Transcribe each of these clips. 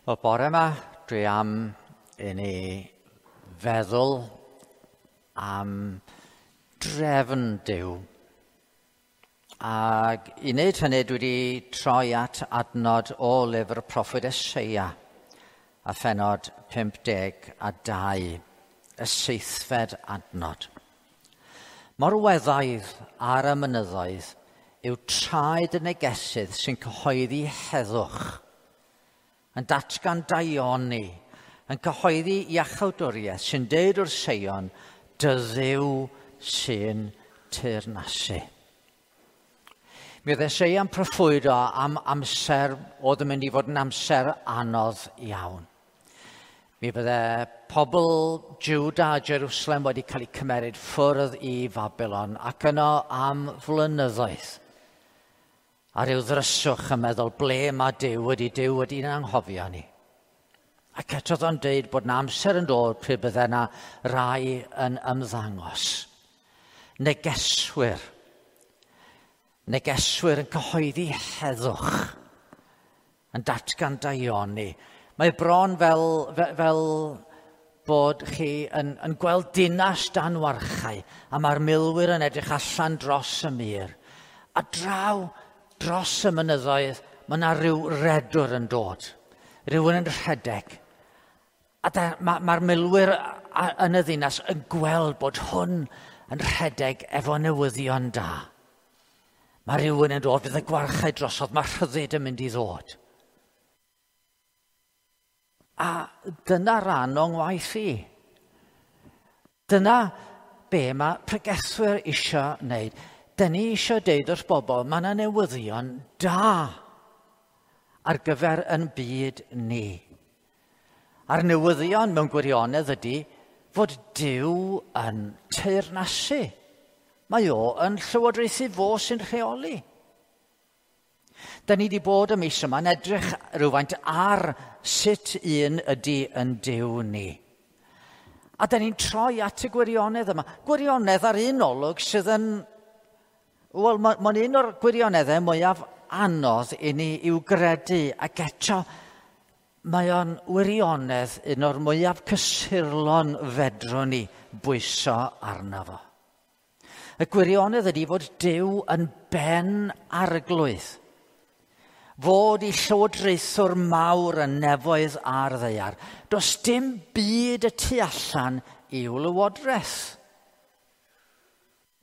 Wel, bore yma, dwi am i ni feddwl am drefn Duw. Ac i wneud hynny, dwi wedi troi at adnod o lyfr proffwyd Eseia a phenod 52, y seithfed adnod. Mor weddaidd ar y mynyddoedd yw traed y negesydd sy'n cyhoeddi heddwch, yn datgan daioni, yn cyhoeddi iachawdwriaeth sy'n deud wrth Seion, dy Dduw sy'n teyrnasu. Mi oedd Eseia'n proffwydo am amser oedd yn mynd i fod yn amser anodd iawn. Mi fydde pobl Juda a Jerusalem wedi cael eu cymeryd ffwrdd i Fabilon ac yno am flynyddoedd. A ryw ddryswch yn meddwl ble mae Duw wedi Duw wedi'n anghofio ni. Ac eto oedd o'n deud bod na amser yn dod pryd bydde yna rai yn ymddangos. Negeswyr. Negeswyr yn cyhoeddi heddwch, yn datgan daioni. Mae bron fel, fel bod chi yn gweld dinas dan warchau a mae'r milwyr yn edrych allan dros y mur. A draw dros y mynyddoedd mae yna rhyw redwr yn dod. Rhywun yn rhedeg. A mae'r ma milwyr yn y ddinas yn gweld bod hwn yn rhedeg efo newyddion da. Mae rhywun yn dod, fydd y gwarchau drosodd, mae rhyddid yn mynd i ddod. A dyna ran o'n ngwaith i. Dyna be mae pregethwyr isio wneud. Dyn ni eisiau deud wrth bobl, mae yna newyddion da ar gyfer yn byd ni. A'r newyddion mewn gwirionedd ydy fod Duw yn teyrnasu. Mae o yn llywodraethu, fo sy'n rheoli. Da ni wedi bod y mis yma yn edrych rhywfaint ar sut un ydy yn Duw ni. A da ni'n troi at y gwirionedd yma. Gwirionedd ar un olwg sydd yn... Wel, mae'n ma un o'r gwirioneddau mwyaf anodd i ni i'w gredu, ac eto mae o'n wirionedd un o'r mwyaf cysurlon fedrwn ni bwyso arno fo. Y gwirionedd ydy fod Duw yn ben arglwydd. Fod i llywodraethwr mawr yn nefoedd a'r ddaear. Does dim byd y tu allan i'w lywodraeth.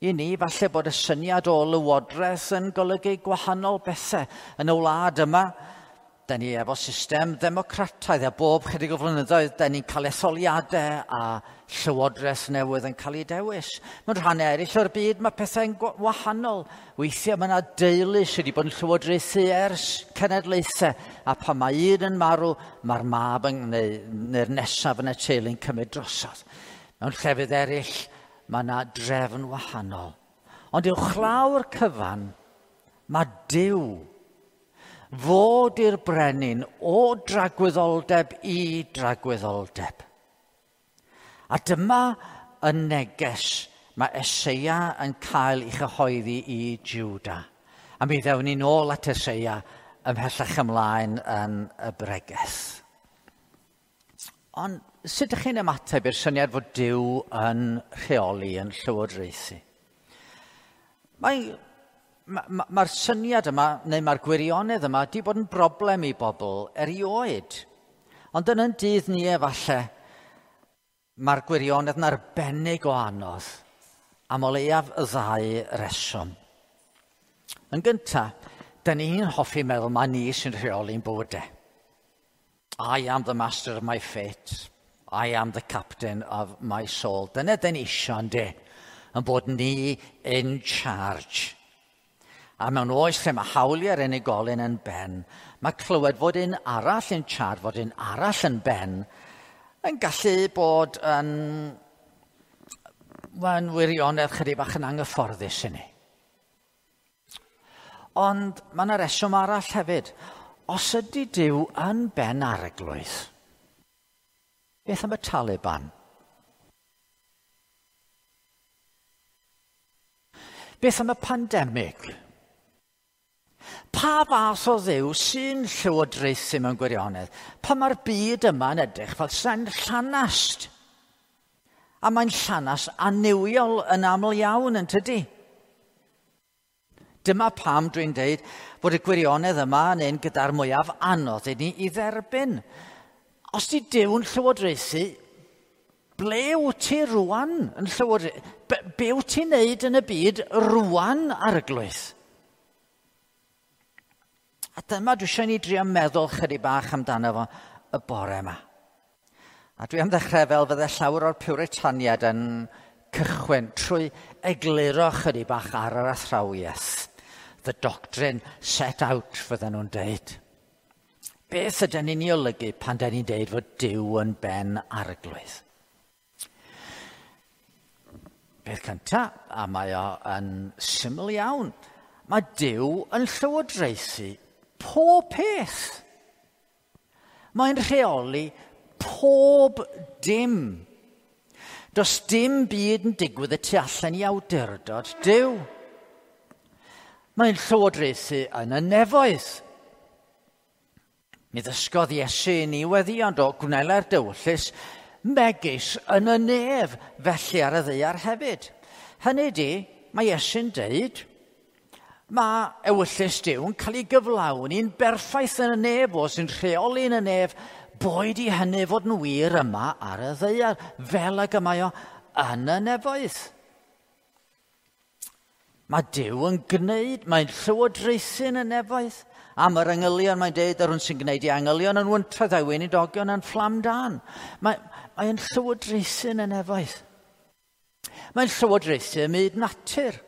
I ni, falle bod y syniad o lywodraeth yn golygu gwahanol bethau. Yn y wlad yma, da ni efo system ddemocrataidd a bob chydig o flynyddoedd, da ni'n cael etholiadau a llywodraeth newydd yn cael ei dewis. Mewn rhannau eraill o'r byd, mae pethau'n wahanol. Weithiau mae yna deulu sydd wedi bod yn llywodraethu ers cenedlaethau, a pan mae un yn marw, mae'r mab yn, neu'r nesaf yn y teulu'n cymryd drosodd. Mewn llefydd eraill, mae yna drefn wahanol. Ond uwchlaw'r cyfan, mae Duw fod i'r brenin o dragwyddoldeb i dragwyddoldeb. A dyma y neges mae Eseia yn cael ei chyhoeddi i Juda. A mi ddewn ni nôl at Eseia ymhellach ymlaen yn y bregeth. Ond sut ydych chi'n ymateb i'r syniad fod Duw yn rheoli, yn llywodraethu? Mae'r syniad yma, neu mae'r gwirionedd yma, di bod yn broblem i bobl erioed. Ond yn yn dydd ni efallai, mae'r gwirionedd yn arbennig o anodd am o leiaf y ddau reswm. Yn gyntaf, dyn ni'n hoffi meddwl mae ni sy'n rheoli'n bywydau. I am the master of my fate. I am the captain of my soul. Dyna dyn ni isio, ynddi? Yn bod ni in charge. A mewn oes lle mae hawliau'r unigolyn yn ben, mae clywed fod un arall in charge, fod un arall yn ben, yn gallu bod yn, mae'n wirionedd chydig bach yn anghyfforddus i ni. Ond mae yna reswm arall hefyd. Os ydy Duw yn ben arglwydd, beth am y Taliban? Beth am y pandemig? Pa fath o Dduw sy'n llywodraethu mewn gwirionedd? Pa mae'r byd yma yn edrych fel sa'n llanast? A mae'n llanast annuwiol yn aml iawn, yn tydi? Dyma pam dwi'n deud bod y gwirionedd yma yn un gyda'r mwyaf anodd i ni i dderbyn. Os di Duw'n llywodraethu, ble wyt ti rwan yn llywodraethu? Be wyt ti'n neud yn y byd rwan, Arglwydd? A dyma dwi eisiau ni drio meddwl chydig bach amdano fo y bore yma. A dwi am ddechrau fel fydde llawer o'r Puritaniad yn cychwyn trwy egluro chydig bach ar yr athrawiaeth. The doctrine set out, fydden nhw'n deud. Beth ydyn ni'n ei olygu pan dyn ni'n deud fod Duw yn ben arglwydd? Beth cyntaf, a mae o yn syml iawn, mae Duw yn llywodraethu pob peth. Mae'n rheoli pob dim. Does dim byd yn digwydd y tu allan i awdurdod Duw. Mae'n llywodraethu yn y nefoedd. Mi ddysgodd Iesu i ni weddi, ond o gwnela'r dywyllys megis yn y nef, felly ar y ddaear hefyd. Hynny di, mae Iesu'n deud, mae ewyllys Duw yn cael ei gyflawni'n berffaith yn y nef, o sy'n rheoli yn y nef, boed i hynny fod yn wir yma ar y ddaear, fel ag y mae o yn y nefoedd. Mae Duw yn gwneud, mae'n llywodraethu yn y nefoedd. Am yr angylion, mae'n deud, yr hwn sy'n gwneud i angylion yn wyntoedd a'i weinidogion yn fflam dan. Mae'n llywodraethu yn y nefoedd. Mae'n llywodraethu ym myd natur.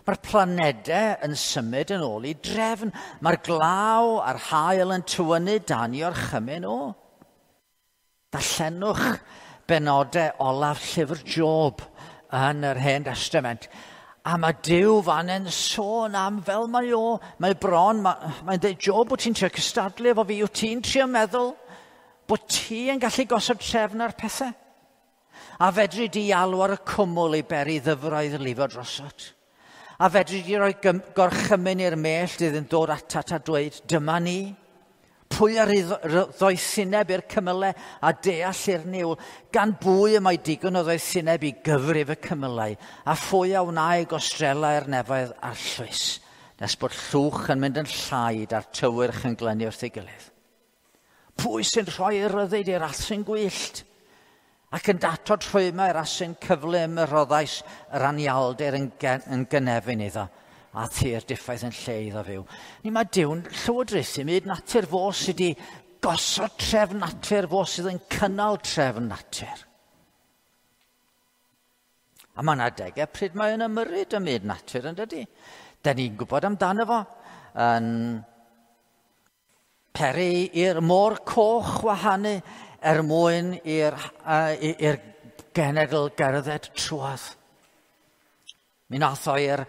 Mae'r planedau yn symud yn ôl i drefn. Mae'r glaw a'r haul yn tywynnu dan i orchymyn o. Darllenwch benodau olaf llyfr Job yn yr Hen Testament. A mae Duw fan yn sôn am fel mae o. Mae bron, mae'n dweud, Job, wyt ti'n trio cystadlu efo fi? Wyt ti'n trio meddwl bod ti yn gallu gosod trefn ar pethau? A fedri di alw ar y cwmwl i beri ddyfroedd lifo drosot? A fedri di roi gorchymyn i'r mellt iddyn dod atat a dweud, dyma ni? Pwy ar ei ddoethineb i'r cymylau a deall i'r niwl? Gan bwy y mae digon o ddoethineb i gyfrif y cymylau? A phwy a wnâi gostrelau i'r nefoedd a'r llwys? Nes bod llwch yn mynd yn llaid a'r tywyrch yn glynu wrth ei gilydd. Pwy sy'n rhoi ryddid i'r asyn gwyllt? Ac yn datod rhwymau i'r asyn cyflym y rhoddais yr anialdir yn gynefin iddo, a thir diffaith yn lle iddo fyw. Ni mae Duw'n llywodraethu myd natur fo sydd wedi gosod trefn natur, fo sydd yn cynnal trefn natur. A mae yna adegau pryd mae'n ymyrryd ym myd natur, yn dydy? Da ni'n gwybod amdano fo yn peri i'r môr coch wahanu er mwyn i'r genedl gerdded trwodd. Mi nath o i'r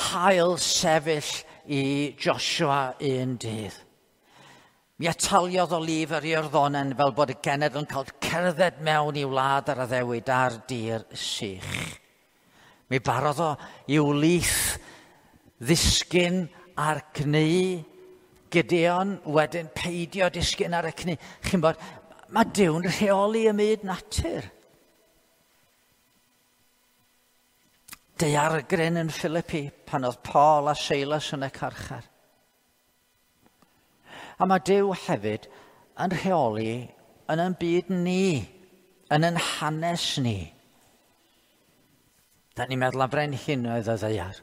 haul sefyll i Joshua un dydd. Mi ataliodd o lif yr Iorddonen fel bod y genedl yn cael cerdded mewn i wlad ar addewid ar dir sych. Mi barodd o i'w lith ddisgyn ar cnu Gideon, wedyn peidio disgyn ar y cnu. Chi'n bod, mae Duw'n rheoli y myd natur. Daeargryn yn Philippi pan oedd Paul a Silas yn y carchar. A mae Duw hefyd yn rheoli yn ein byd ni, yn ein hanes ni. Da ni'n meddwl am brenhinoedd y ddaear.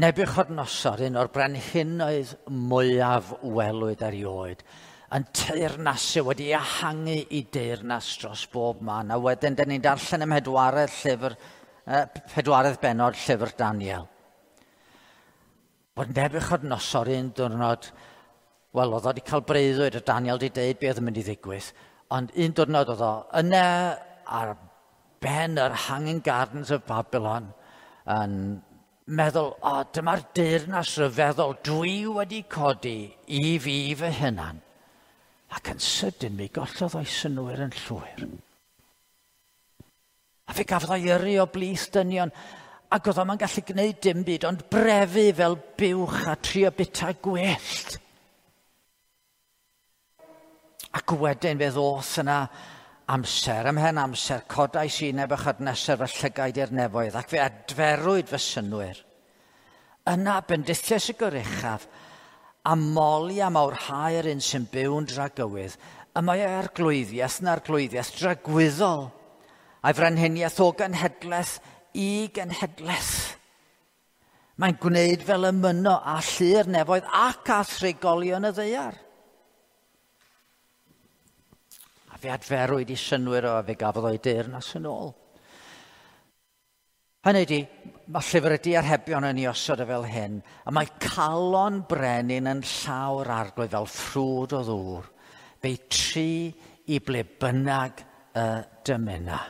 Nebuchadnezzar, un o'r brenhinoedd mwyaf welwyd erioed, yn teyrnasu wedi ehangu i deyrnas dros bob man. A wedyn, da ni'n darllen ym pedwaredd bennod llyfr Daniel. Bod Nebuchadnezzar un diwrnod, wel, oedd o wedi cael breuddwyd a Daniel wedi deud beth oedd yn mynd i ddigwydd, ond un diwrnod oedd o yna ar ben yr Hanging Gardens of Babylon yn meddwl, o, dyma'r deyrnas ryfeddol dwi wedi codi i fi fy hunan. Ac yn sydyn mi gollodd o'i synnwyr yn llwyr. A fe gafodd o'i yrru o blith dynion, Ac oedd o'm yn gallu gwneud dim byd, ond brefu fel buwch a trio bita gwellt. Ac wedyn fe ddoth yna amser, ymhen amser, codais i Nebuchadnezzar fy llygaid i'r nefoedd, ac fe adferwyd fy synnwyr. Yna bendithiais y goruchaf, a moli a mawrhau'r un sy'n byw'n dragywydd, y mae arglwyddiaeth yn arglwyddiaeth dragwyddol, a'i frenhiniaeth o genhedlaeth i genhedlaeth. Mae'n gwneud fel y myno a llu'r nefoedd ac a thrigolion y ddaear. A fe adferwyd i synnwyr o, a fe gafodd o'i deyrnas yn ôl. Hynny ydi, mae llyfr y diarhebion yn ei osod o fel hyn, a mae calon brenin yn llaw'r arglwydd fel ffrwd o ddŵr, fe'i tri i ble bynnag y dymuna.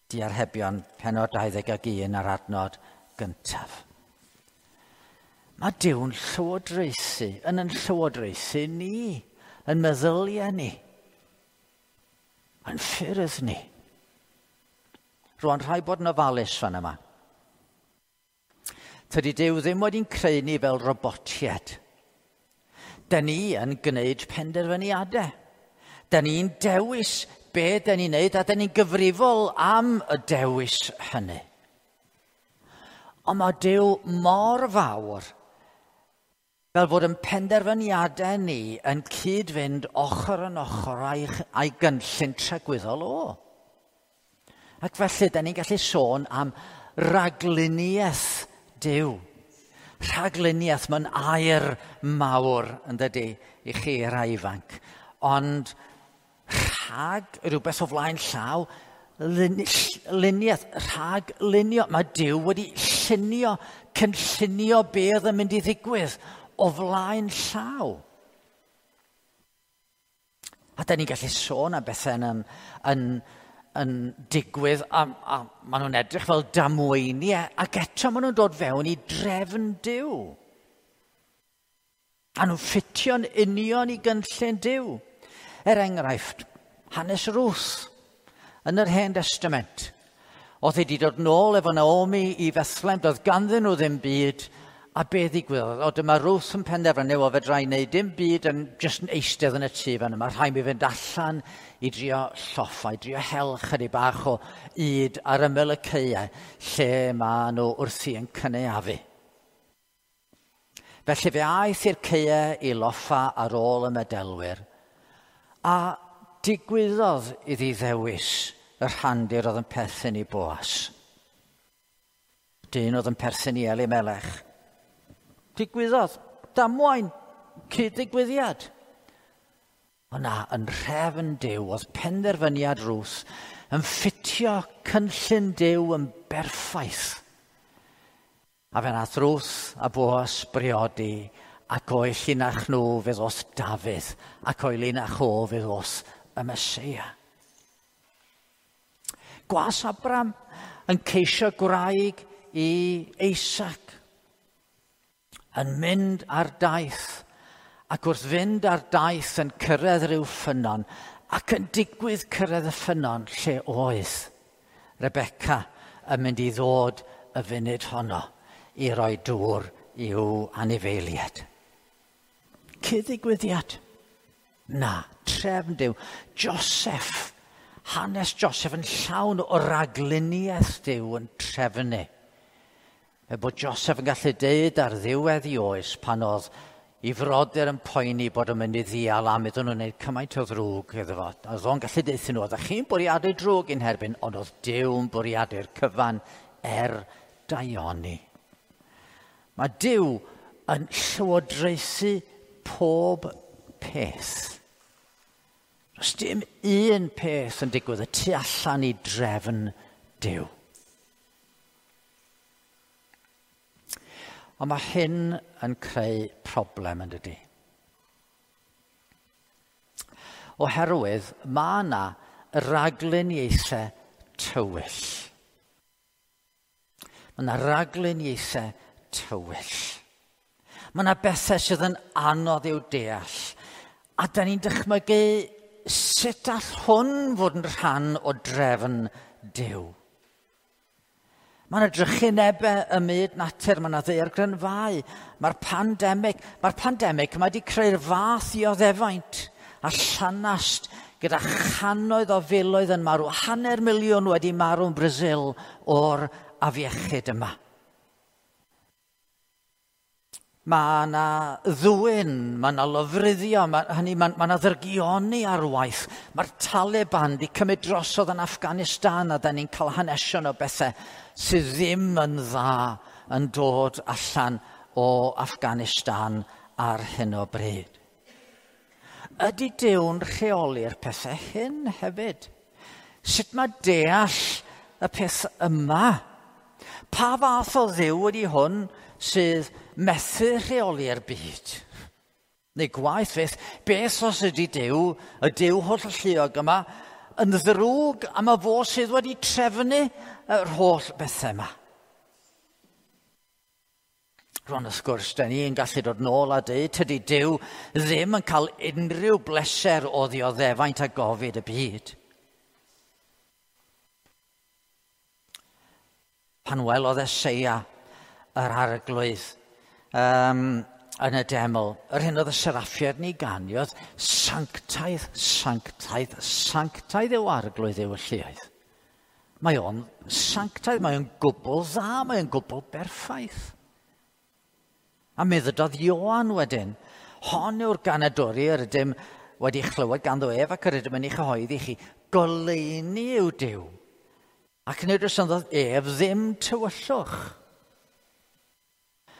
Diarhebion penod 21 ar adnod gyntaf. Mae Duw'n llywodraethu, yn yn llywodraethu ni, yn meddyliau ni, yn ffyrdd ni. Rwan, rhaid bod yn ofalus fan yma. Tydi Duw ddim wedi'n creu ni fel robotiaid. Da ni yn gwneud penderfyniadau. Da ni'n dewis be da ni'n neud a da ni'n gyfrifol am y dewis hynny. Ond mae Duw mor fawr fel fod yn penderfyniadau ni yn cyd-fynd ochr yn ochr a'i gynllun tragwyddol o. Ac felly, da ni'n gallu sôn am ragluniaeth Duw. Rhagluniaeth, mae'n air mawr yn dydy i chi rai ifanc. Ond rhag rhywbeth o flaen llaw, luniaeth, rhag lunio. Mae Duw wedi llunio, cynllunio beth yn mynd i ddigwydd o flaen llaw. A da ni'n gallu sôn am bethau yn digwydd, a maen nhw'n edrych fel damweiniau, ac eto maen nhw'n dod fewn i drefn Duw. A nhw'n ffitio'n union i gynllun Duw. Er enghraifft, hanes Ruth yn yr Hen Testament. Oedd hi wedi dod nôl efo Naomi i Fethlem, doedd ganddyn nhw ddim byd, a be ddigwyddodd? O, dyma Ruth yn penderfynu, o fedra i wneud dim byd yn jyst yn eistedd yn y tŷ fan yma. Rhaid mi fynd allan i drio lloffa, i drio hel chydig bach o yd ar ymyl y caeau lle maen nhw wrthi yn cynaeafu. Felly fe aeth i'r caeau i loffa ar ôl y medelwyr, a digwyddodd iddi ddewis y rhandir oedd yn perthyn i Boas. Dyn oedd yn perthyn i Elimelech. Digwyddodd, damwain, cyd-ddigwyddiad. Ond na, yn rhefn Duw, oedd penderfyniad Ruth yn ffitio cynllun Duw yn berffaith. A fe nath Ruth a Boas briodi, ac o'i llinach nhw fe ddoth Dafydd, ac o'i linach o fe ddoth y Meseia. Gwas Abram yn ceisio gwraig i Isaac, yn mynd ar daith, ac wrth fynd ar daith yn cyrraedd rhyw ffynnon, ac yn digwydd cyrraedd y ffynnon lle oedd Rebecca yn mynd i ddod y funud honno i roi dŵr i'w anifeiliaid. Cyd-ddigwyddiad? Na, trefn Duw. Joseph, hanes Joseph yn llawn o ragluniaeth Duw yn trefnu. Er bod Joseph yn gallu deud ar ddiwedd i oes pan oedd i frodyr yn poeni bod yn mynd i ddial am iddyn nhw'n gwneud cymaint o ddrwg iddo fo. Oedd o'n gallu deuthyn nhw, oeddech chi'n bwriadu drwg i'n herbyn, ond oedd Duw yn bwriadu'r cyfan er daioni. Mae Duw yn llywodraethu pob peth. Does dim un peth yn digwydd y tu allan i drefn Duw. Ond mae hyn yn creu problem yn dydy. Oherwydd mae yna ragluniaethau tywyll. Mae yna ragluniaethau tywyll. Mae yna bethau sydd yn anodd i'w deall. A da ni'n dychmygu sut all hwn fod yn rhan o drefn Duw. Mae yna drychinebau ym myd natur, mae yna ddaeargrynfâu, mae'r pandemig, mae'r pandemig mae wedi creu'r fath dioddefaint a llanast gyda channoedd o filoedd yn marw, 500,000 wedi marw yn Brasil o'r afiechyd yma. Mae yna ddwyn, mae yna lofruddio, mae yna ddrygioni ar waith. Mae'r Taliban wedi cymryd drosodd yn Afghanistan a da ni'n cael hanesion o bethau sydd ddim yn dda yn dod allan o Afghanistan ar hyn o bryd. Ydy Duw'n rheoli'r pethau hyn hefyd? Sut mae deall y peth yma? Pa fath o Dduw ydy hwn sydd methu rheoli'r byd? Neu gwaeth fyth, beth os ydy Duw, y Duw hollalluog yma, yn ddrwg am y fo sydd wedi trefnu yr holl bethau yma? Rwan, wrth gwrs, da ni'n gallu dod nôl a dweud, tydi Duw ddim yn cael unrhyw bleser o ddioddefaint a gofid y byd. Pan welodd Eseia yr arglwydd yn y deml, yr hyn oedd y seraffiad ni ganiodd, sanctaidd, sanctaidd, sanctaidd yw arglwydd yw y lluoedd. Mae o'n sanctaidd, mae o'n gwbl dda, mae o'n gwbl berffaith. A mi ddydodd Ioan wedyn, hon yw'r ganadwri yr ydym wedi chlywed ganddo ef ac yr ydym yn ei chyhoeddi chi, goleuni yw Duw. Ac nid oes ynddo ef ddim tywyllwch.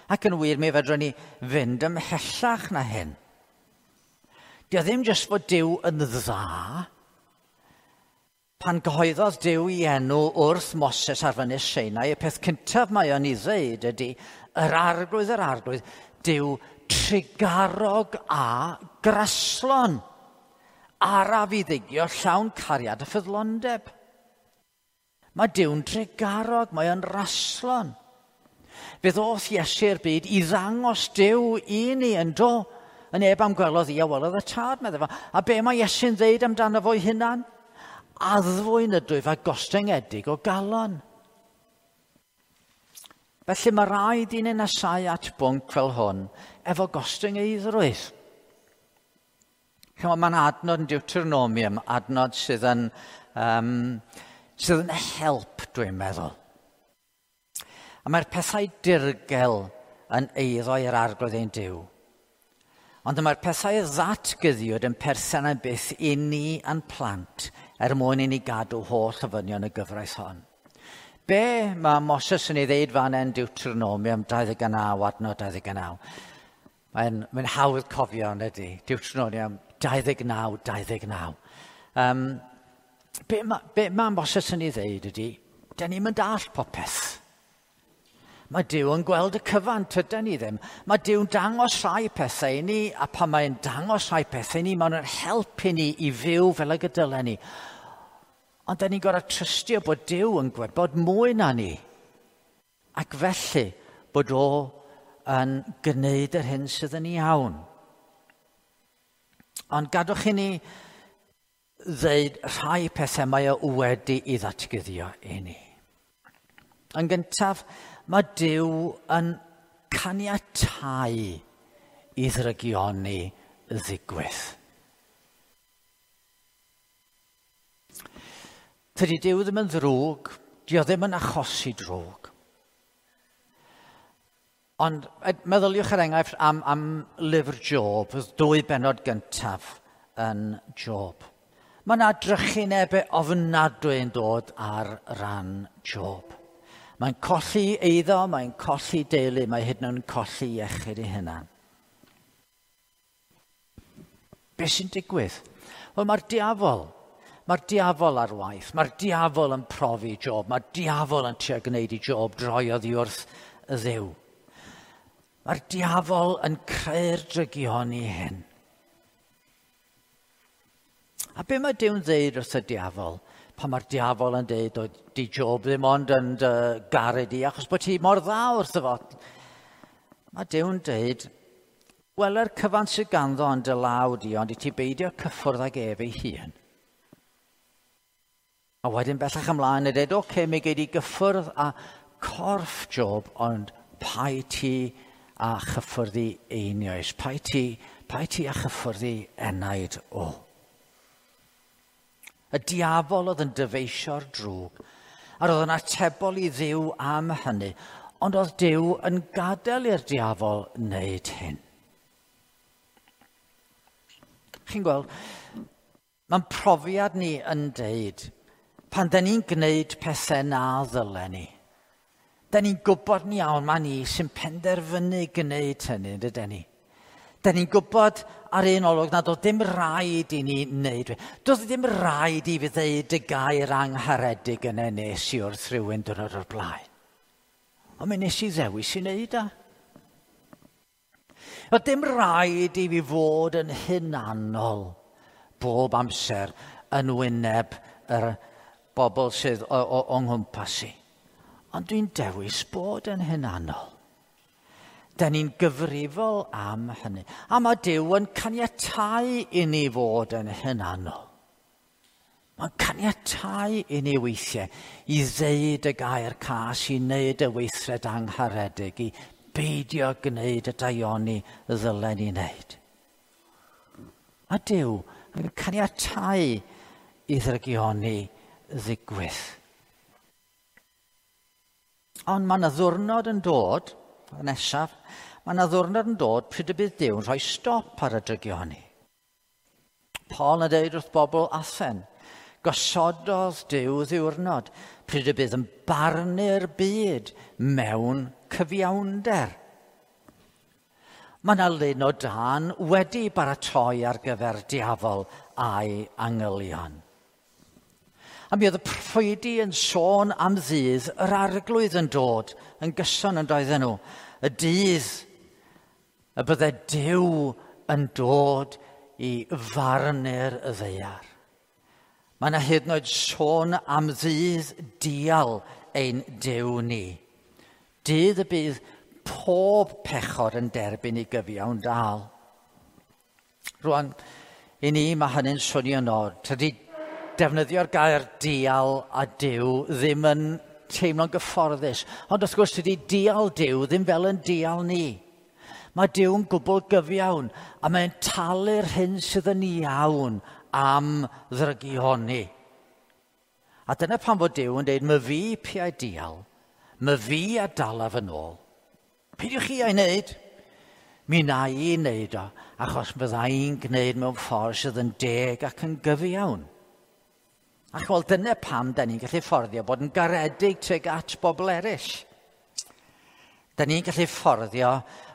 Ac yn wir, mi fedrwn ni fynd ymhellach na hyn. Dio ddim jyst fod Duw yn dda. Pan gyhoeddodd Duw ei enw wrth Moses ar fynydd Sinai, y peth cyntaf mae o'n ei ddweud ydy, yr arglwydd, Duw trugarog a graslon, araf i ddigio llawn cariad a ffyddlondeb. Mae Duw'n trugarog, mae o'n raslon. Fe ddoth Iesu'r byd i ddangos Duw i ni yn do. Y neb am gwelodd i a welodd y tad, meddai fo. A be mae Iesu'n ddeud amdano fo'i hunan? Addfwyn ydwyf a gostyngedig o galon. Felly mae rhaid i ni nesau at bwnc fel hwn efo gostyngeiddrwydd. Mae'n adnod yn Deuteronomium, adnod sydd yn help, dwi'n meddwl. A mae'r pethau dirgel yn eiddo i'r arglwydd ein Duw. Ond mae'r pethau ddatguddiwyd yn perthyn am byth i ni a'n plant er mwyn i ni gadw holl ofynion y gyfraith hon. Be mae Moses yn ei ddeud fan yn Deuteronomium 29, adnod 29? Mae'n hawdd cofio, yn ydy? Deuteronomium 29, 29. Be mae Moses yn ei ddeud ydy, da ni'n mynd all popeth. Mae Duw yn gweld y cyfan, tydan ni ddim. Mae Duw'n dangos rhai pethau i ni, a pan mae'n dangos rhai pethau i ni, mae'n helpu ni i fyw fel y gydylen ni. Ond da ni'n gorfod trystio bod Duw yn gwybod mwy na ni. Ac felly bod o yn gwneud yr hyn sydd yn iawn. Ond gadwch i ni ddeud rhai pethau mae o wedi i ddatguddio i ni. Yn gyntaf, mae Duw yn caniatáu i ddrygioni ddigwydd. Tydi Duw ddim yn ddrwg, dio ddim yn achosi drwg. Ond meddyliwch er enghraifft am lyfr Job, y dwy bennod gyntaf yn Job. Mae yna drychinebau ofnadwy yn dod ar ran Job. Mae'n colli eiddo, mae'n colli deulu, mae hyd yn oed yn colli iechyd ei hunan. Be sy'n digwydd? Wel, mae'r diafol ar waith, mae'r diafol yn profi Job, mae'r diafol yn trio gwneud i Job droi oddi wrth y Dduw. Mae'r diafol yn creu'r drygioni hyn. A be mae Duw'n ddeud wrth y diafol? Pan mae'r diafol yn deud, o, di Job ddim ond yn garu di, achos bod ti mor dda wrtho fo. Mae Duw'n deud, weler cyfan sydd ganddo yn dy law di, ond i ti beidio cyffwrdd ag ef ei hun. A wedyn bellach ymlaen yn dweud, oce, mi gei di gyffwrdd a corff Job, ond pai ti a chyffwrdd i einioes, pai ti a chyffwrdd i enaid o. Y diafol oedd yn dyfeisio'r drwg, a roedd yn atebol i Dduw am hynny, ond oedd Duw yn gadael i'r diafol wneud hyn. Chi'n gweld, mae'n profiad ni yn deud, pan da ni'n gwneud pethau na ddylen ni, da ni'n gwybod yn iawn mae ni sy'n penderfynu gwneud hynny, dydyn ni. Da ni'n gwybod ar un olwg nad oedd dim rhaid i ni wneud. Doedd dim rhaid i fi ddeud y gair angharedig yna nes i wrth rhywun diwrnod o'r blaen. Ond mi nes i ddewis i wneud o. Doedd dim rhaid i fi fod yn hunanol bob amser yn wyneb yr bobl sydd o'n nghwmpas i. Ond dwi'n dewis bod yn hunanol. Da ni'n gyfrifol am hynny. A mae Duw yn caniatáu i ni fod yn hunanol. Mae'n caniatáu i ni weithiau i ddeud y gair cas, i wneud y weithred angharedig, i beidio gwneud y daioni ddylen ni wneud. A Duw yn caniatáu i ddrygioni ddigwydd. Ond mae yna ddiwrnod yn dod, nesaf, mae yna ddiwrnod yn dod pryd y bydd Duw yn rhoi stop ar y drygioni. Paul yn dweud wrth bobl Athen, gosododd Duw ddiwrnod pryd y bydd yn barnu'r byd mewn cyfiawnder. Mae yna lun o dân wedi baratoi ar gyfer diafol a'i angylion. A mi oedd y proffwydi yn sôn am ddydd yr arglwydd yn dod yn gyson yn doedden nhw. Y dydd y bydde Duw yn dod i farnu'r y ddaear. Mae yna hyd yn oed sôn am ddydd dial ein Duw ni. Dydd y bydd pob pechod yn derbyn ei gyfiawn dal. Rwan, i ni mae hynny'n swnio'n od. Tydi defnyddio'r gair dial a Duw ddim yn teimlo'n gyfforddus. Ond wrth gwrs, tydi dial Duw ddim fel yn dial ni. Mae Duw'n gwbl gyfiawn a mae'n talu'r hyn sydd yn iawn am ddrygioni. A dyna pam fod Duw yn dweud, my fi piau dial, my fi a dalaf yn ôl. Peidiwch chi a'i wneud? Mi na i wneud o, achos fydda i'n gwneud mewn ffordd sydd yn deg ac yn gyfiawn. Ac wel, dyna pam da ni'n gallu fforddio bod yn garedig tuag at bobl eraill. Da ni'n gallu fforddio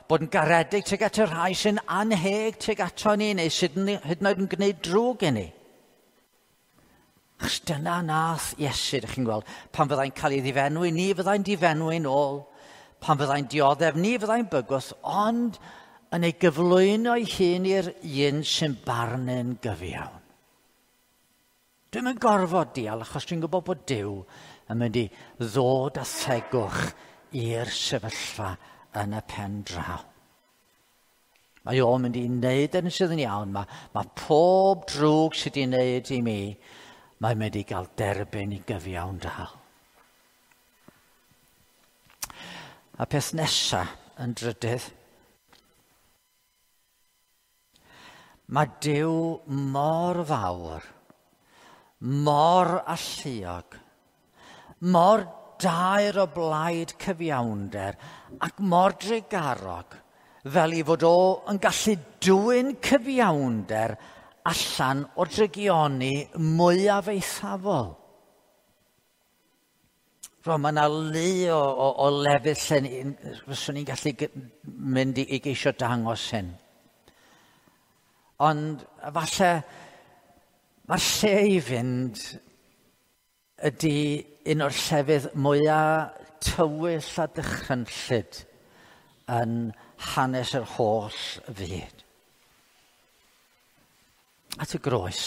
bod yn garedig tuag at y rhai sy'n anheg tuag ato ni neu sydd hyd yn oed yn gwneud drwg i ni. Achos dyna nath Iesu, ydych chi'n gweld, pan fyddai'n cael ei ddifenwi, ni fyddai'n difenwi'n ôl. Pan fyddai'n dioddef, ni fyddai'n bygwth, ond yn ei gyflwyno ei hun i'r un sy'n barnu'n gyfiawn. Dwi'm yn gorfod dial, achos dwi'n gwybod bod Duw yn mynd i ddod â thegwch i'r sefyllfa yn y pen draw. Mae o'n mynd i wneud yn sydd yn iawn. Mae pob drwg sydd wedi wneud i mi, mae'n mynd i gael derbyn i gyfiawn dal. A peth nesaf yn drydydd, mae Duw mor fawr, mor alluog, mor daer o blaid cyfiawnder ac mor drugarog, fel i fod o yn gallu dwyn cyfiawnder allan o'r drygioni mwyaf eithafol. Rwan, mae yna lu o lefydd lle fyswn i'n gallu mynd i geisio dangos hyn. Ond falle mae'r lle i fynd ydy un o'r llefydd mwyaf tywyll a dychrynllyd yn hanes yr holl fyd. At y groes.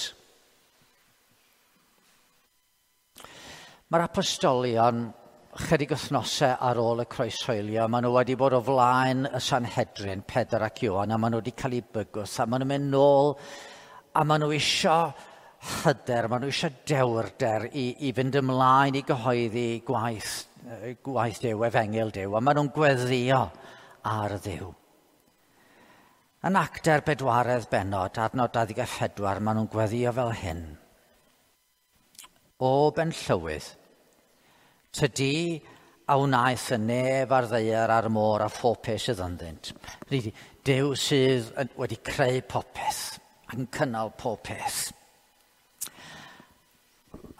Mae'r apostolion chydig wythnosau ar ôl y croeshoelio, maen nhw wedi bod o flaen y Sanhedrin, Pedr ac Ioan, a maen nhw wedi cael eu bygwth, a maen nhw'n mynd nôl, a maen nhw isio hyder, maen nhw isio dewrder i fynd ymlaen i gyhoeddi gwaith gwaith Duw, efengyl Duw, a maen nhw'n gweddio ar Dduw. Yn Actau'r bedwaredd bennod, adnod 24, maen nhw'n gweddio fel hyn. O benllywydd, tydi a wnaeth y nef a'r ddaear a'r môr a phob peth sydd ynddynt. Hynny ydi, Duw sydd wedi creu popeth ac yn cynnal pob peth.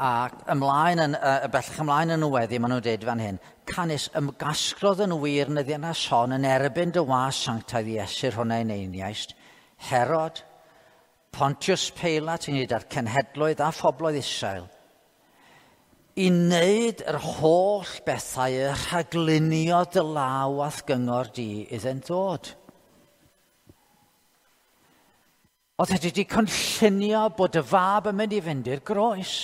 Ac ymlaen yn, bellach ymlaen yn y weddi, maen nhw'n dweud fan hyn, canys ymgasglodd yn wir yn y ddinas hon yn erbyn dy was sanctaidd Iesu'r hwn a'i neiniaist, Herod, Pontius Peilat ynghyd â'r cenhedloedd a phobloedd Israel, i wneud yr holl bethau y rhaglunio dy law a'th gyngor di iddynt ddod. Oedd wedi cynllunio bod y fab yn mynd i fynd i'r groes.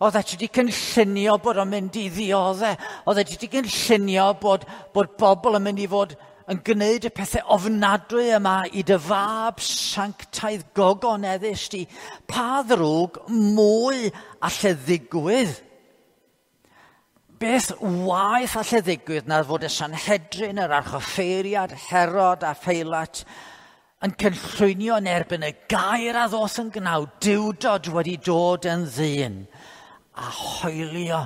Oedd wedi cynllunio bod o'n mynd i ddioddau. Oedd wedi cynllunio bod, bod bobl yn mynd i fod yn gwneud y pethau ofnadwy yma i dy fab sanctaidd gogoneddus di. Pa ddrwg mwy alle ddigwydd? Beth waeth alle ddigwydd na fod y Sanhedrin, yr archoffeiriad, Herod a Pheilat yn cynllwynio yn erbyn y gair a ddoth yn gnaw, Duwdod wedi dod yn ddyn, a hoelio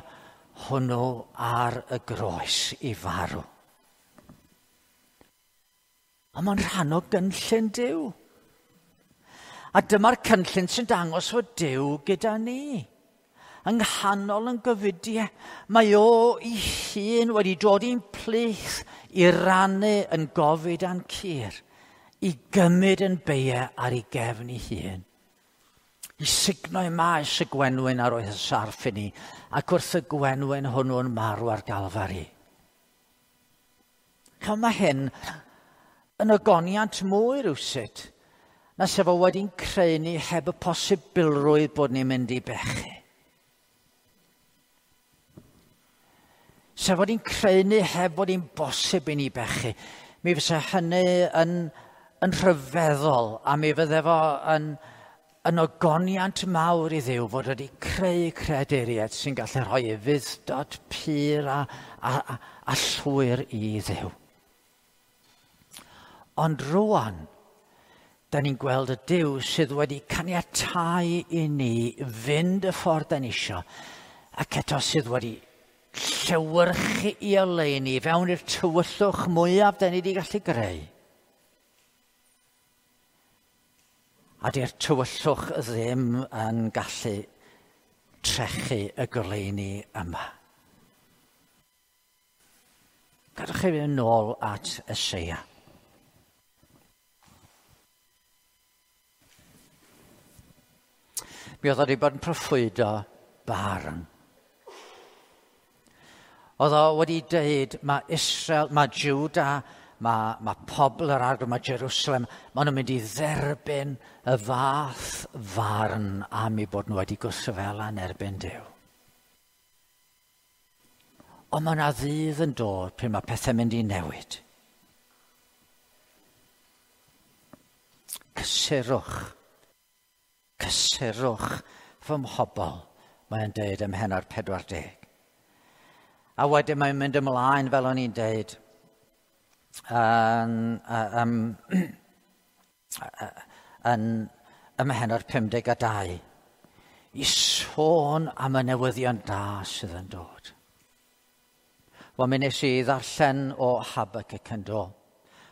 hwnnw ar y groes i farw. Ond mae'n rhan o gynllun Duw. A dyma'r cynllun sy'n dangos fod Duw gyda ni. Yng nghanol yn gyfudiau, mae o ei hun wedi dod i'n plith i rannu yn gofid a'n cur, i gymryd yn beiau ar ei gefn ei hun. I sugno i maes y gwenwyn ar oedd y sarff i ni, ac wrth y gwenwyn hwnnw'n marw ar Galfari. Ch'mo, mae hyn yn ogoniant mwy rywsut, na sef o wedi'n creu ni heb y posibilrwydd bod ni'n mynd i bechu. Sef wedi'n creu ni heb fod hi'n bosib i ni bechu. Mi fysa hynny yn, yn rhyfeddol, a mi fydde fo yn, yn ogoniant mawr i Dduw fod wedi creu creaduriaid sy'n gallu rhoi ufudd-dod pur a, a, a, a llwyr i Dduw. Ond rwan, da ni'n gweld y Duw sydd wedi caniatáu i ni fynd y ffordd da ni isio, ac eto sydd wedi llewyrchu i oleuni fewn i'r tywyllwch mwyaf da ni wedi gallu greu. A di'r tywyllwch ddim yn gallu trechu y goleuni yma. Gadwch chi fynd nôl at Eseia. Mi oedd o wedi bod yn proffwydo barn. Oedd o wedi dweud, mae Israel, mae Juda, mae, mae pobl yr arglwydd, mae Jerusalem, maen nhw'n mynd i dderbyn y fath farn am eu bod nhw wedi gwrthryfela yn erbyn Duw. Ond mae yna ddydd yn dod pryd mae pethau'n mynd i newid. Cysurwch. Cysurwch fy mhobl, mae'n deud ym mhennod 40. A wedyn mae'n mynd ymlaen, fel o'n i'n deud, yn, um, yn, ym mhennod 52, i sôn am y newyddion da sydd yn dod. Wel, mi nes i ddarllen o Habakkuk yn do.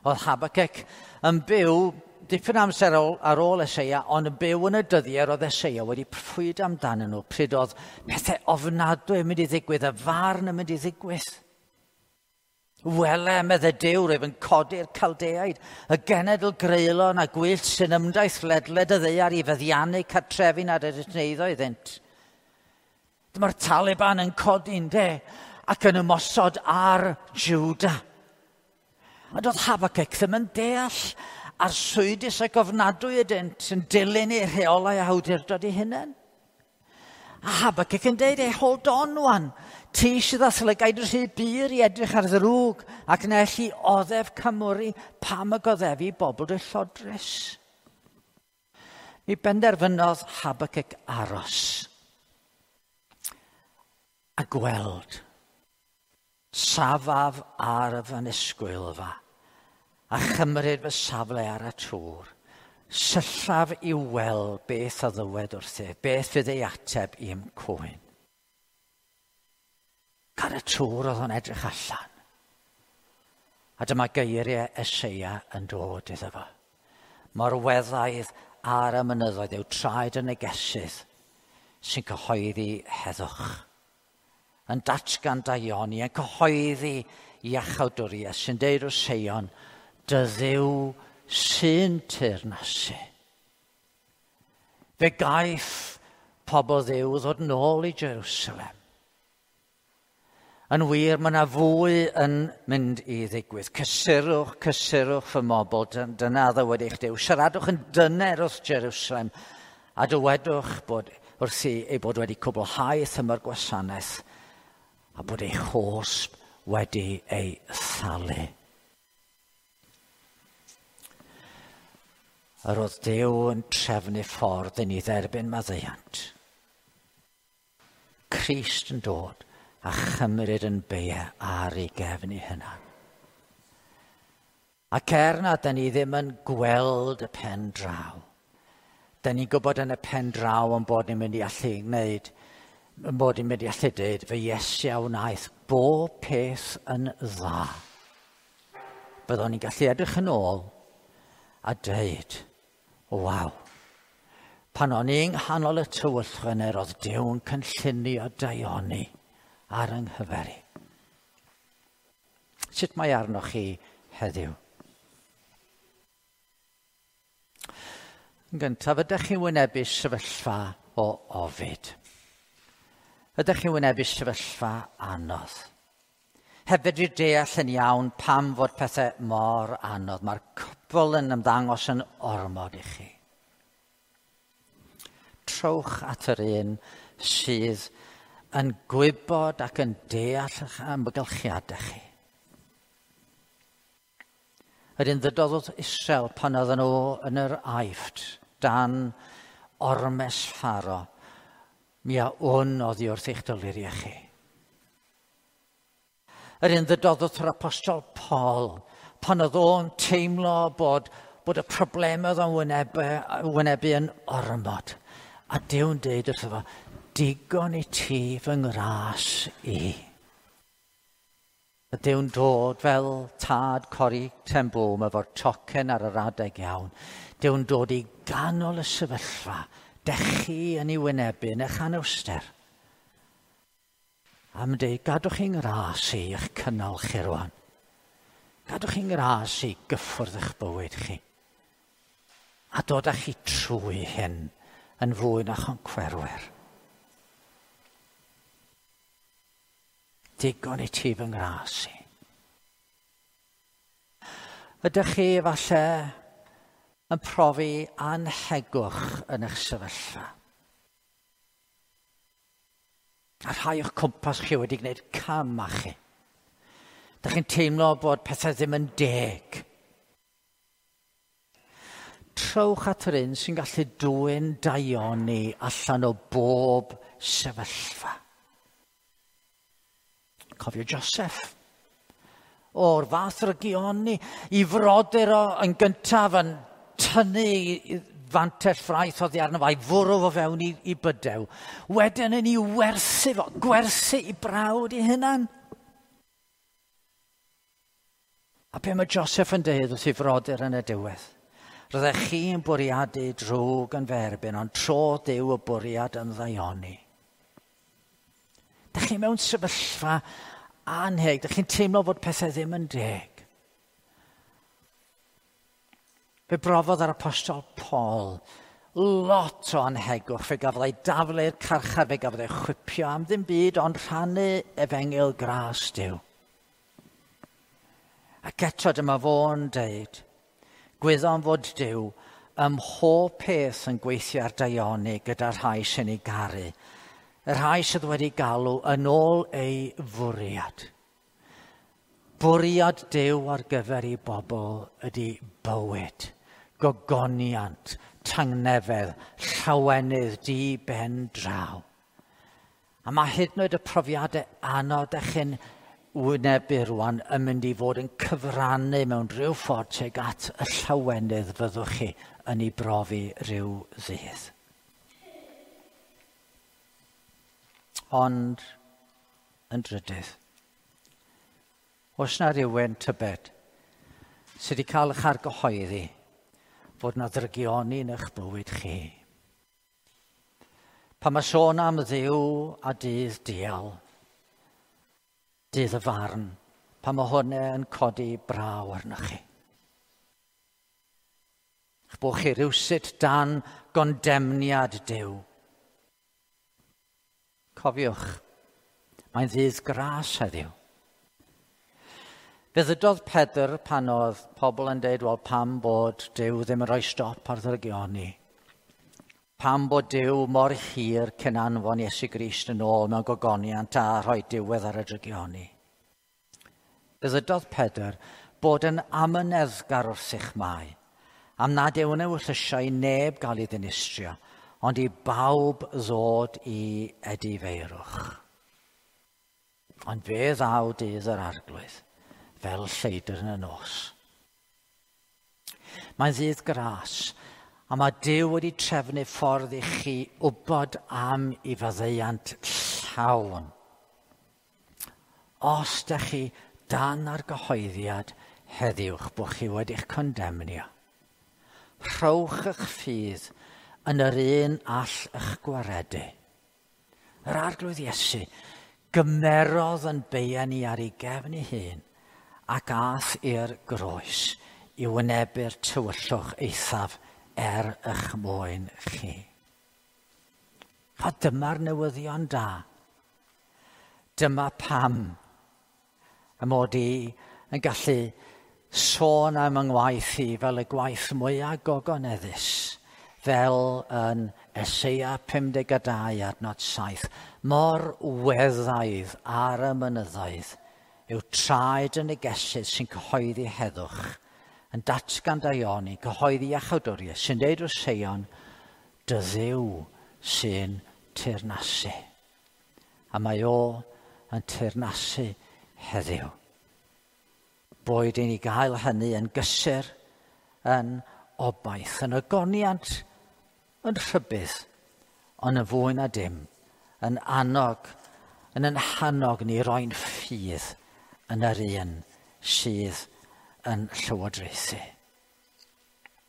Oedd Habakkuk yn byw dipyn amser ar ôl Eseia, ond yn byw yn y dyddiau oedd Eseia wedi proffwydo amdanyn nhw, pryd oedd pethau ofnadwy yn mynd i ddigwydd, y farn yn mynd i ddigwydd. Wele, medde Duw, rwyf yn codi'r Caldeaid, y genedl greulon a gwyllt sy'n ymdaith ledled y ddaear i feddiannu cartrefi nad ydynt yn eiddo iddynt. Dyma'r Taliban yn codi'n de ac yn ymosod ar Juda. A doedd Habakkuk ddim yn deall arswydus ac ofnadwy ydynt yn dilyn eu rheolau a awdurdod eu hunain. A Habakkuk yn deud, hey, hold on wan, ti sydd â llygaid rhy bur i edrych ar ddrwg ac na elli oddef cymwri pam y goddefi bobl dwyllodrus. Mi benderfynodd Habakkuk aros. A gweld, safaf ar fy nisgwylfa, a chymryd fy safle ar y tŵr, syllaf i weld beth a ddywed wrthyf, beth fydd ei ateb i'm cwyn. Ar y tŵr oedd o'n edrych allan. A dyma geiriau Eseia yn dod iddo fo. Mor weddaidd ar y mynyddoedd yw traed y negesydd sy'n cyhoeddi heddwch. Yn datgan daioni, yn cyhoeddi iachawdwriaeth sy'n deud wrth Seion, dy Dduw sy'n teyrnasu. Fe gaiff pobl Dduw ddod nôl i Jerusalem. Yn wir, mae yna fwy yn mynd i ddigwydd. Cysurwch, cysurwch fy mobl, dyna ddywed eich Duw. Siaradwch yn dyner wrth Jerusalem a dywedwch bod wrthi ei bod wedi cwblhau thymor gwasanaeth a bod ei chosb wedi ei thalu. Yr oedd Duw yn trefnu ffordd i ni dderbyn maddeuant. Crist yn dod a chymryd yn beia ar ei gefn ei hunan. Ac er na da ni ddim yn gweld y pen draw, da ni'n gwybod yn y pen draw yn bod ni'n mynd i allu gwneud, yn bod ni'n mynd i allu dweud, fy Iesu a wnaeth bob peth yn dda. Byddwn ni'n gallu edrych yn ôl a dweud, waw, pan o'n i'n nghanol y tywyllwch yna, roedd Duw yn cynllunio daioni ar yng nghyfer i. Sut mae arnoch chi heddiw? Yn gyntaf, ydych chi'n wynebu sefyllfa o ofid? Ydych chi'n wynebu sefyllfa anodd? Heb fedru deall yn iawn pam fod pethau mor anodd. Mae'r cwbl yn ymddangos yn ormod i chi. Trowch at yr un sydd yn gwybod ac yn deall eich amgylchiadau chi. Yr un ddydodd wrth Israel pan oedden nhw yn yr Aifft dan ormes Pharo, mi a wn oddi wrth eich doluriau chi. Yr un ddydodd wrth yr apostol Paul pan oedd o'n teimlo bod y problemau oedd o'n wynebu yn ormod. A Duw'n deud wrtho fo, digon i ti fy ngras i. A Duw'n dod fel tad Corrie ten Boom efo'r tocyn ar yr adeg iawn. Duw'n dod i ganol y sefyllfa, dech chi yn ei wynebu yn eich anawster. A mae'n deud, gadwch chi'n ngras i eich cynnal chi rwan. Gadwch chi'n ngras i gyffwrdd eich bywyd chi. A dod â chi trwy hyn yn fwy na choncwerwyr. Digon i ti fy ngras i. Ydych chi efallai yn profi anhegwch yn eich sefyllfa? A rhai o'ch cwmpas chi wedi gwneud cam â chi. Dych chi'n teimlo bod pethau ddim yn deg. Trowch at yr un sy'n gallu dwyn daioni allan o bob sefyllfa. Cofio Joseph. O'r fath rygioni i frodyr o yn gyntaf yn tynnu fantell ffraeth oddi arno fo a'i fwrw fo fewn i bydew. Wedyn yn ei werthu fo, gwerthu i brawd ei hunan. A be mae Joseph yn deud wrth ei frodyr yn y diwedd? Roeddech chi'n bwriadu drwg yn fy erbyn, ond tro Duw y bwriad yn ddaioni. Dych chi mewn sefyllfa anheg, dych chi'n teimlo fod pethau ddim yn deg. Fe brofodd yr apostol Paul lot o anhegwch, fe gafodd ei daflu i'r carchar, fe gafodd ei chwipio am ddim byd, ond rhannu efengyl gras Duw. Ac eto dyma fo'n deud, gwyddom fod Duw ym mhob peth yn gweithio ar daioni gyda'r rhai sy'n ei garu, y rhai sydd wedi galw yn ôl ei fwriad. Bwriad Duw ar gyfer ei bobl ydy bywyd, gogoniant, tangnefedd, llawenydd di ben draw. A mae hyd yn oed y profiadau anodd ydych chi'n wynebu rwan yn mynd i fod yn cyfrannu mewn rhyw ffordd tuag at y llawenydd fyddwch chi yn ei brofi rhyw ddydd. Ond yn drydydd, oes na rywun tybed sydd wedi cael eich argyhoeddi fod na ddrygioni yn eich bywyd chi? Pan mae sôn am Dduw a dydd dial, dydd y farn, pan mae hwnna yn codi braw arnoch chi. Eich bod chi rywsut dan gondemniad Duw. Cofiwch, mae'n ddydd gras heddiw. Fe ddydodd Pedr pan oedd pobl yn deud, wel, pam bod Duw ddim yn rhoi stop ar ddrygioni? Pam bod Duw mor hir cyn anfon Iesu Grist yn ôl mewn gogoniant a rhoi diwedd ar y drygioni? Fe ddydodd Pedr bod yn amyneddgar wrth mae, am nad yw'n ewyllysio i neb gael ei ddinistrio, ond i bawb ddod i edifeirwch. Ond fe ddaw dydd yr Arglwydd, fel lleidr yn y nos. Mae'n ddydd gras, a mae Duw wedi trefnu ffordd i chi wybod am ei faddeuant llawn. Os ydych chi dan argyhoeddiad heddiwch bod chi wedi'ch condemnio, rhowch eich ffydd yn yr un all eich gwaredu. Yr Arglwydd Iesu gymerodd yn beia ni ar ei gefn ei hun ac ath i'r groes i wynebu'r tywyllwch eithaf er eich mwyn chi. A dyma'r newyddion da. Dyma pam y mod i yn gallu sôn am yng ngwaith i fel y gwaith mwyaf gogoneddus, fel yn Eseia 52 adnod 7. Mor weddaidd ar y mynyddoedd yw traed y negesydd sy'n cyhoeddi heddwch, yn datgan daioni, cyhoeddi iachawdwriaeth, sy'n deud wrth Seion, dy Dduw sy'n teyrnasu. A mae o yn teyrnasu heddiw. Boed i ni gael hynny yn gysur, yn obaith, yn ogoniant, yn rhybudd, ond yn fwy na dim, yn annog, yn hannog ni roi'n ffydd yn yr un sydd yn llywodraethu.